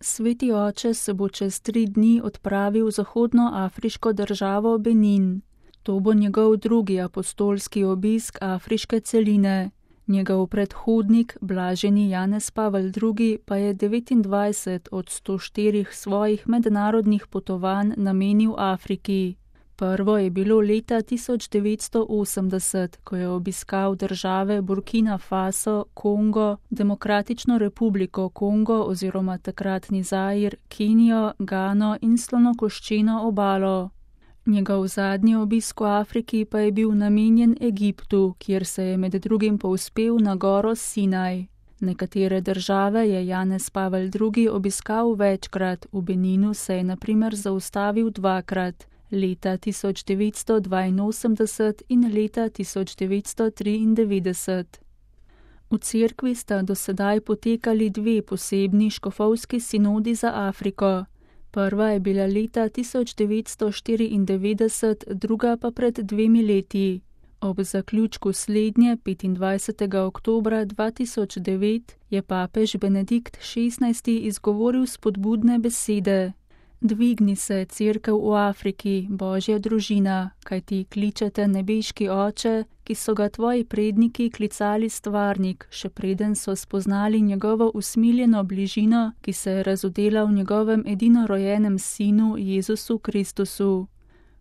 Sveti oče se bo čez 3 dni odpravil v zahodnoafriško državo Benin. To bo njegov drugi apostolski obisk afriške celine. Njegov predhodnik, blaženi Janez Pavel II., pa je 29 od 104 svojih mednarodnih potovanj namenil Afriki. Prvo je bilo leta 1980, ko je obiskal države Burkina Faso, Kongo, Demokratično republiko Kongo oziroma takratni Zair, Kenijo, Gano in Slonokoščeno obalo. Njegov zadnji obisk v Afriki pa je bil namenjen Egiptu, kjer se je med drugim povzpel na goro Sinaj. Nekatere države je Janez Pavel II. Obiskal večkrat, v Beninu se je na primer zaustavil 2-krat, leta 1982 in leta 1993. V cerkvi sta do sedaj potekali 2 posebni škofovski sinodi za Afriko. Prva je bila leta 1994, druga pa pred 2 leti. Ob zaključku slednje 25. oktobra 2009 je papež Benedikt XVI. Izgovoril spodbudne besede. Dvigni se, cerkev v Afriki, Božja družina, kajti kličete nebeški oče, ki so ga tvoji predniki klicali stvarnik, še preden so spoznali njegovo usmiljeno bližino, ki se je razodela v njegovem edinorojenem sinu Jezusu Kristusu.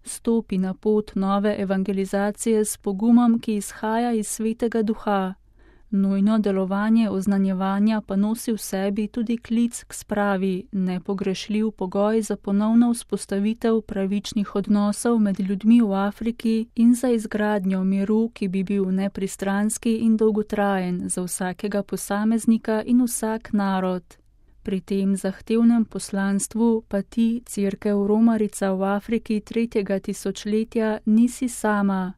Stopi na pot nove evangelizacije s pogumom, ki izhaja iz Svetega Duha. Nujno delovanje oznanjevanja pa nosi v sebi tudi klic k spravi, nepogrešljiv pogoj za ponovno vzpostavitev pravičnih odnosov med ljudmi v Afriki in za izgradnjo miru, ki bi bil nepristranski in dolgotrajen za vsakega posameznika in vsak narod. Pri tem zahtevnem poslanstvu pa ti, cerkev Romarica v Afriki 3. tisočletja, nisi sama.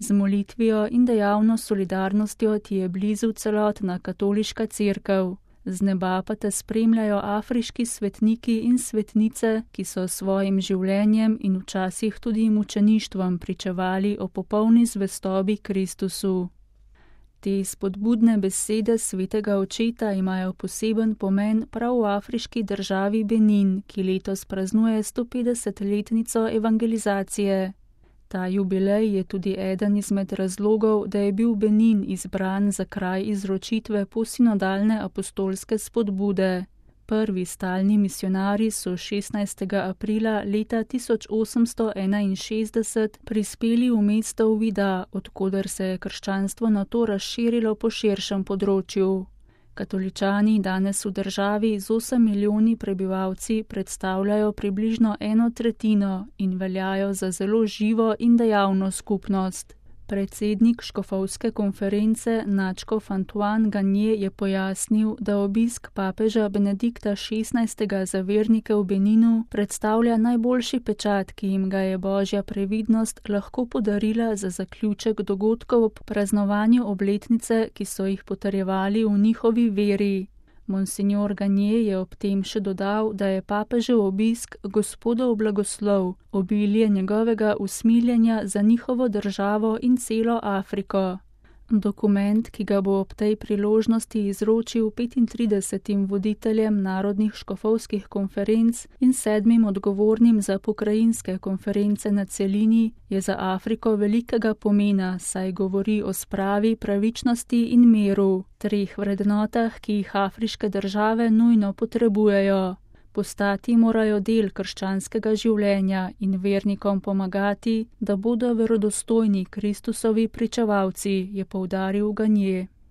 Z molitvijo in dejavno solidarnostjo ti je blizu celotna katoliška cerkev. Z neba pa te spremljajo afriški svetniki in svetnice, ki so svojim življenjem in včasih tudi mučeništvom pričevali o popolni zvestobi Kristusu. Te spodbudne besede svetega očeta imajo poseben pomen prav v afriški državi Benin, ki letos praznuje 150-letnico evangelizacije. Ta jubilej je tudi eden izmed razlogov, da je bil Benin izbran za kraj izročitve posinodalne apostolske spodbude. Prvi stalni misionarji so 16. aprila leta 1861 prispeli v mesto Uvida, odkoder se je krščanstvo nato razširilo po širšem področju. Katoličani danes v državi z 8 milijoni prebivalci predstavljajo približno 1/3 in veljajo za zelo živo in dejavno skupnost. Predsednik škofovske konference nadškof Antoine Gagnier je pojasnil, da obisk papeža Benedikta XVI. Za vernike v Beninu predstavlja najboljši pečat, ki jim ga je Božja previdnost lahko podarila za zaključek dogodkov ob praznovanju obletnice, ki so jih potrjevali v njihovi veri. Monsignor Gagnier je ob tem še dodal, da je papežev obisk Gospodov blagoslov, obilje njegovega usmiljenja za njihovo državo in celo Afriko. Dokument, ki ga bo ob tej priložnosti izročil 35 voditeljem narodnih škofovskih konferenc in 7 odgovornim za pokrajinske konference na celini, je za Afriko velikega pomena, saj govori o spravi, pravičnosti in miru, 3 vrednotah, ki jih afriške države nujno potrebujejo. Postati morajo del krščanskega življenja in vernikom pomagati, da bodo verodostojni Kristusovi pričevalci, je poudaril Gagnier.